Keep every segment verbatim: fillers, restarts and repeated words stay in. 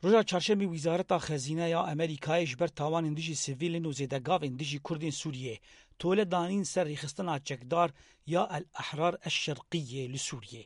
Roja çarşemê Wîzareta Xezîne ya Amerîkayê ji ber tawanên dijî sivîlin û zêdegavên dijî Kurdên Sûriyê tole danîn ser rêxistina çekdar ya El Ehrar El Şerqiyê li Sûriyê.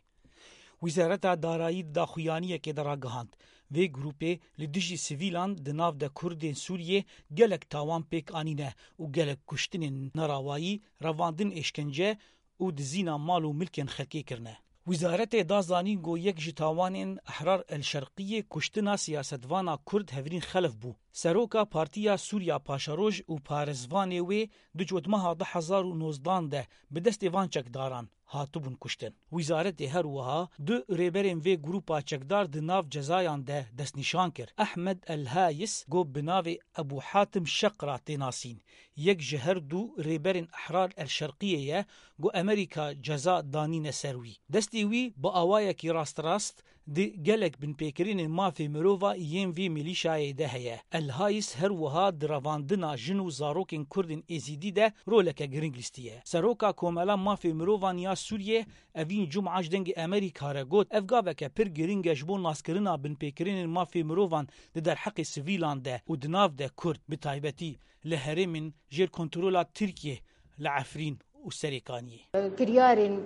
Wîzareta Darayî di daxuyaniyekê de ragihand, vê grûpê li dijî sivîlan di nav de Kurdên Sûriyê gelek tawan pêk anîne û gelek kuştinên nerawayî, revandin êşkence û dizîna mal û milkên xelkê kirine. Wîzaretê da zanîn ku yek ji tawanên Ehrar El Şerqiyê kuştina siyasetvana Kurd Hevrîn Xelef bû. Seroka Partiya Sûriya Paşeroj û parêzvanê wê di cotmeha du hezar û nozdan de bi destê van çekdaran hatibûn kuştin. Wîzaretê her wiha du rêberên vê grûpa çekdar di nav cezayan de destnîşan kir. Ehmed El Hayis, ku bi navê Ebû Hatim Şeqra tê nasîn, yek ji her du rêberên Ehrar El Şerqiyê ye, ku Amerîka ceza danîne ser wî. Destê wî bi awayekî rasterast di gelek binpêkirinên mafê mirova yên vê milîşayê de heye. El Hayis her wiha di revandina jin û zarokên Kurdên Êzîdî de roleke giring lîstiye. Seroka Komela Mafê Mirovan ya Sûriyê Evîn Cuma ji Dengê Amerîka re got, ev gaveke pir giring e ji bo naskirina binpêkirinên mafê mirovan di derheqê sivîlan de û di nav de Kurd, bi taybetî li herêmên jêr kontrola Tirkiyê, li Efrîn û Serêkaniyê. Kiryarên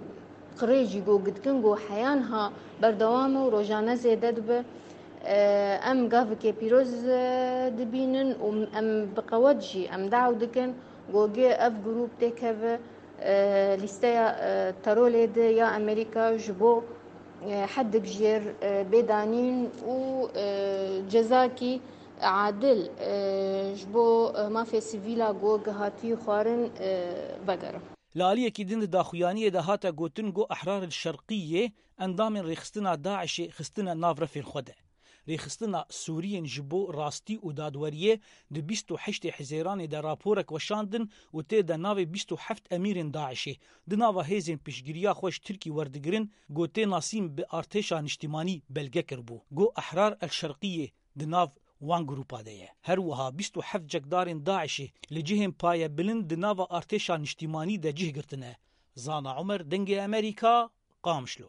qirêjî ku gitkin ku heyan ha berdewam e û rojane zêde dibe. Em gavikê pîroz, e, dibînin û em bi qewet jî em daw dikin ku gê ev grûp têkeve, e, lîsteya, e, terorê de ya Amerîka ji bo, e, hedik jêr, e, bê danîn û, e, cezakî adil, e, ji bo, e, mafê sivîla ku gihatî xwarin, e, vegerin. Li aliyekî din di daxuyaniyê de hate gotin ku Ehrar el Şerqiyê endamên rêxistina DAIŞê xistine nav refên xwe de. Rêxistina Sûriyên ji bo rastî û dadweriyê di bîst û heştê Hizêranê de raporek weşandin û tê de navê bîst û heft emîrên DAIŞê di nava hêzên piştgiriya xwe ji Tirkî werdigirin, ku tê nasîn bi artêşa niştimanî belge kiribû. Ku Ehrar el Şerqiyê di nav wan grûpa de ye. Her wiha bîst û heft cekdarên DAIŞê li cihên payebilind di nava artêşa niştimanî de cih girtine. Zana Umer, Dengê Amerîka, Qamişlo.